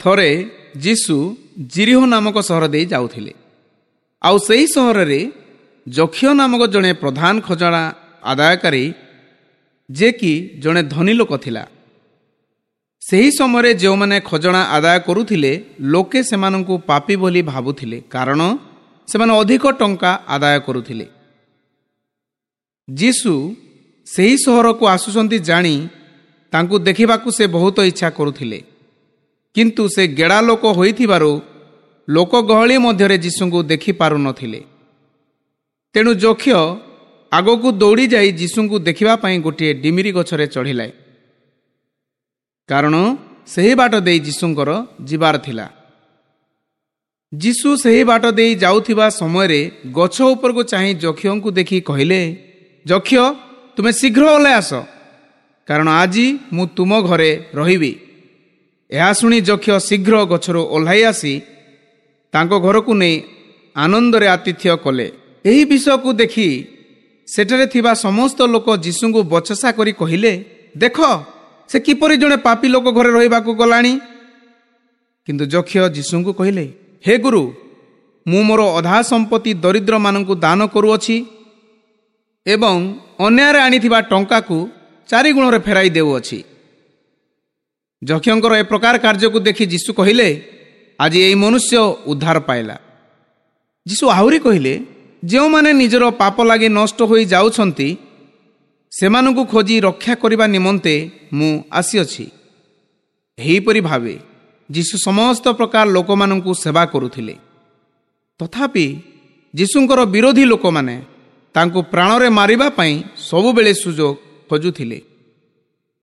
ଥରେ ଯୀଶୁ ଯିରୀହୋ ନାମକ ସହର ଦେଇ ଯାଉଥିଲେ। ଆଉ ସେହି ସହରରେ ଯକ୍ଷ ନାମକ ଜଣେ ପ୍ରଧାନ ଖଜଣା ଆଦାୟକାରୀ, ଯେ କି ଜଣେ ଧନୀ ଲୋକ ଥିଲା। ସେହି ସମୟରେ ଯେଉଁମାନେ ଖଜଣା ଆଦାୟ କରୁଥିଲେ, ଲୋକେ ସେମାନଙ୍କୁ ପାପୀ ବୋଲି ଭାବୁଥିଲେ, କାରଣ ସେମାନେ ଅଧିକ ଟଙ୍କା ଆଦାୟ କରୁଥିଲେ। ଯୀଶୁ ସେହି ସହରକୁ ଆସୁଛନ୍ତି ଜାଣି ତାଙ୍କୁ ଦେଖିବାକୁ ସେ ବହୁତ ଇଚ୍ଛା କରୁଥିଲେ, କିନ୍ତୁ ସେ ଗେଡ଼ା ଲୋକ ହୋଇଥିବାରୁ ଲୋକ ଗହଳି ମଧ୍ୟରେ ଯୀଶୁଙ୍କୁ ଦେଖିପାରୁନଥିଲେ। ତେଣୁ ଯକ୍ଷ ଆଗକୁ ଦୌଡ଼ି ଯାଇ ଯୀଶୁଙ୍କୁ ଦେଖିବା ପାଇଁ ଗୋଟିଏ ଡିମିରି ଗଛରେ ଚଢ଼ିଲା, କାରଣ ସେହି ବାଟ ଦେଇ ଯୀଶୁଙ୍କର ଯିବାର ଥିଲା। ଯୀଶୁ ସେହି ବାଟ ଦେଇ ଯାଉଥିବା ସମୟରେ ଗଛ ଉପରକୁ ଚାହିଁ ଯକ୍ଷଙ୍କୁ ଦେଖି କହିଲେ, ଯକ୍ଷ, ତୁମେ ଶୀଘ୍ର ଓହ୍ଲାଇ ଆସ, କାରଣ ଆଜି ମୁଁ ତୁମ ଘରେ ରହିବି। ଏହା ଶୁଣି ଯକ୍ଷ ଶୀଘ୍ର ଗଛରୁ ଓହ୍ଲାଇ ଆସି ତାଙ୍କ ଘରକୁ ନେଇ ଆନନ୍ଦରେ ଆତିଥ୍ୟ କଲେ। ଏହି ବିଷୟକୁ ଦେଖି ସେଠାରେ ଥିବା ସମସ୍ତ ଲୋକ ଯୀଶୁଙ୍କୁ ବଚସା କରି କହିଲେ, ଦେଖ, ସେ କିପରି ଜଣେ ପାପୀ ଲୋକ ଘରେ ରହିବାକୁ ଗଲାଣି। କିନ୍ତୁ ଯକ୍ଷ ଯୀଶୁଙ୍କୁ କହିଲେ, ହେ ଗୁରୁ, ମୁଁ ମୋର ଅଧା ସମ୍ପତ୍ତି ଦରିଦ୍ରମାନଙ୍କୁ ଦାନ କରୁଅଛି ଏବଂ ଅନ୍ୟାୟରେ ଆଣିଥିବା ଟଙ୍କାକୁ 4 ଗୁଣରେ ଫେରାଇ ଦେଉଅଛି। ଯକ୍ଷଙ୍କର ଏ ପ୍ରକାର କାର୍ଯ୍ୟକୁ ଦେଖି ଯୀଶୁ କହିଲେ, ଆଜି ଏହି ମନୁଷ୍ୟ ଉଦ୍ଧାର ପାଇଲା। ଯୀଶୁ ଆହୁରି କହିଲେ, ଯେଉଁମାନେ ନିଜର ପାପ ଲାଗି ନଷ୍ଟ ହୋଇ ଯାଉଛନ୍ତି, ସେମାନଙ୍କୁ ଖୋଜି ରକ୍ଷା କରିବା ନିମନ୍ତେ ମୁଁ ଆସିଅଛି। ଏହିପରି ଭାବେ ଯୀଶୁ ସମସ୍ତ ପ୍ରକାର ଲୋକମାନଙ୍କୁ ସେବା କରୁଥିଲେ। ତଥାପି ଯୀଶୁଙ୍କର ବିରୋଧୀ ଲୋକମାନେ ତାଙ୍କୁ ପ୍ରାଣରେ ମାରିବା ପାଇଁ ସବୁବେଳେ ସୁଯୋଗ ଖୋଜୁଥିଲେ।